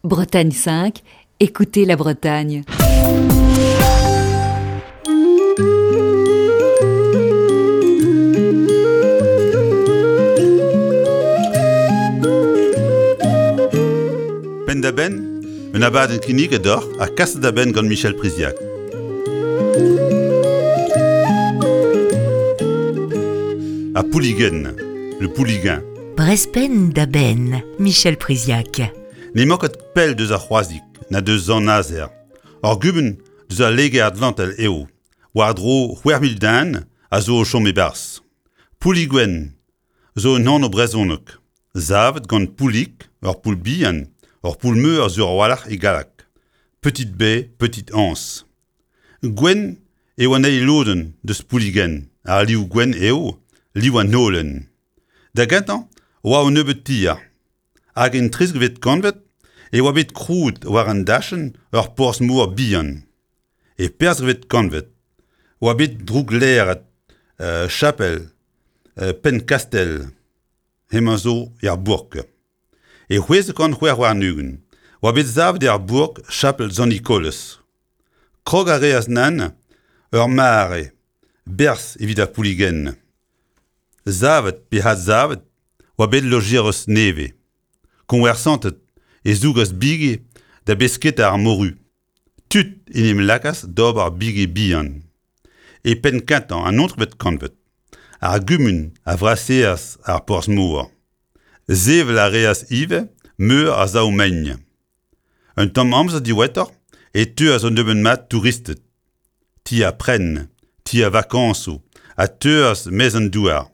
Bretagne 5, écoutez la Bretagne. Penn-da-benn, un abadenn kinniget deoc'h ha kaset da benn gant Michel Priziac. Ha Pouligen, le Pouligain. Brest-Penn da benn, Michel Priziac. N'emañ ket pell deus ar C'hroazig na deus Sant-Nazer. Ur gumun deus al Liger-Atlantel eo, war-dro 6000 den a zo o chom e-barzh. Pouliguen zo un anv brezhonek, savet gant Poulig, ur poull bihan, ur poull-meur sur a-walc'h e galleg. Petite baie, petite anse. Gwenn eo an eil lodenn deus Pouliguen, ar liv gwenn eo liv an holen. Da gentañ oa un nebeud tier. Hag en trizekvet kantved e oa bet krouet war an dachenn ur porzh-mor bihan. E perzhvet kantved oa bet drouklêret chapel Penn-Kastell, hemañ zo er bourk. E 626 oa bet savet er bourk chapel Sant-Nikolez. Krog a reas nann ur mare berzh evit ar pouligenn. Savet pe adsavet oa bet lojerez nevez. Koñversanted e zougas bigi da besketa ar moru. Tud en em lakaas d'ober bigi bihan. E penn-kentañ an naontekvet kantved, ar gumun a vraseas ar porzh-mor. Sevel a reas ivez meur a sav-mein. Un tamm amzer diwezhatoc'h e teuas un nebeud mat touristed, ti ha prenn, ti ha vakañsoù a teuas maez an douar,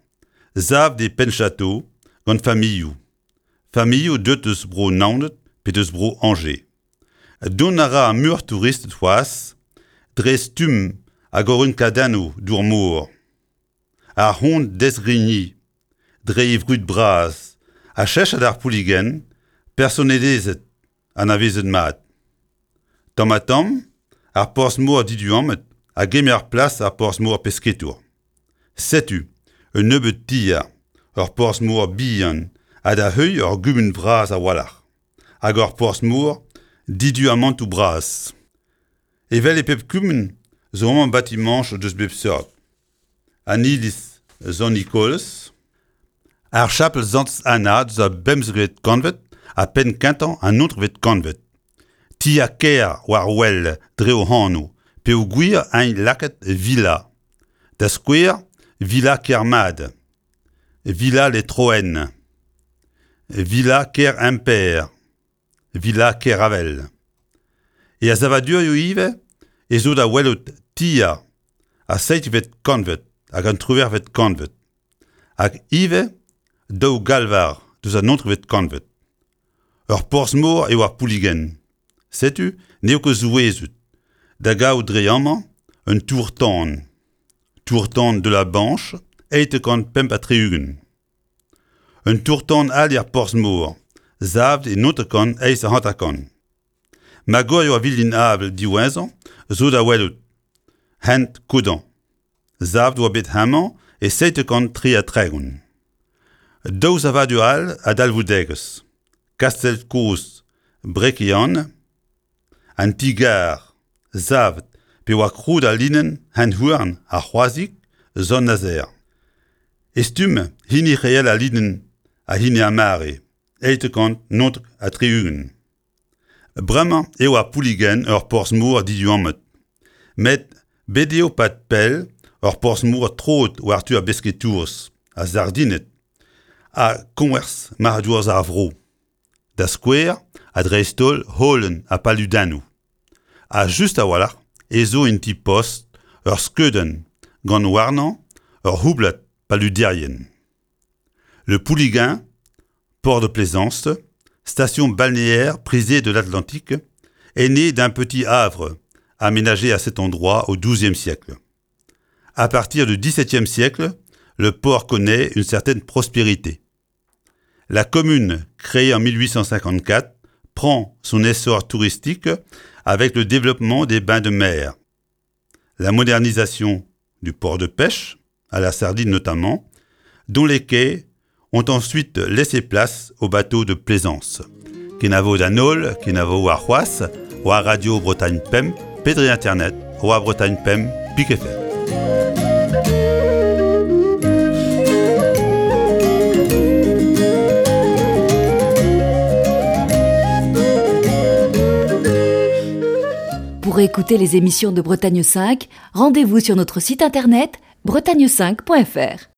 savet e Penn-Château gant familhoù, familhoù deuet eus Bro-Naoned pe deus Bro-Añje. Dont a ra muioc'h touristed c'hoazh dre stumm hag orin-kadennoù dour-mor. Ar c'hont Desgrigny, dre e vrud bras, a cheñchas d'ar pouligenn personelezhet anavezet mat. Tamm-ha-tamm, ar porzh-mor diduammet a gemer plas ar porzh-mor pesketour. Setu un nebeud tier, ur porzh-mor bihan ha da heuilh ur gumun vras a-walc'h, hag ur porzh-mor diduamantoù bras. Evel e pep kumun zo amañ batimañchoù deus bep seurt. An iliz Sant-Nikolaz, ar chapel Sant-Anna deus ar bemzekvet kantved ha penn-kentañ an naontekvet kantved. Ti ha kêr war wel dre o anv peogwir int lakaet villa. Da skouer Villa Kermad, Villa Les Troennes, Villa Ker-Imper. Villa Keravel. E savadurioù ivez ez zo da welout tier ar seizhvet kantved hag an triwec'hvet kantved, hag ivez daou galvar deus an naontekvet kantved. Ur porzh-mor eo ar Pouligenn. Setu n'eo ket souezhut da gaout dre amañ un tour-tan, tour-tan de la Banche, 875. Un tour-tan all er porzh-mor, savet e 950. Magorioù ar vilin-avel diwezhañ zo da welout, hent Kodan. Savet oa bet hemañ e 733. Daou savadur all a dalvoudegezh, kastell kozh Brekian, an ti-gar savet pe oa krouet al linenn hent-houarn ar C'hroazig Sant-Nazer. E stumm hini reel al linenn ha hini ar mare, 879. Bremañ eo ar Pouligenn ur porzh-mor diduammet, met bet eo 'pad pell ur porzh-mor troet war-du ar besketourez, ar sardined ha koñvers marc'hadourezh ar vro. Da skouer, ha dreist-holl holen ha paludennoù. Ha just a-walc'h ez zo en ti-post ur skeudenn gant warnañ ur c'houblad paluderien. Le Pouliguen, port de plaisance, station balnéaire prisée de l'Atlantique, est né d'un petit havre aménagé à cet endroit au XIIe siècle. À partir du XVIIe siècle, le port connaît une certaine prospérité. La commune, créée en 1854, prend son essor touristique avec le développement des bains de mer. La modernisation du port de pêche, à la sardine notamment, dont les quais ont ensuite laissé place aux bateaux de plaisance. Kenavo d'an holl, kenavo warc'hoazh, war Radio Bretagne Pemp pe dre internet war Bretagne Pemp pik FR. Pour écouter les émissions de Bretagne 5, rendez-vous sur notre site internet bretagne5.fr.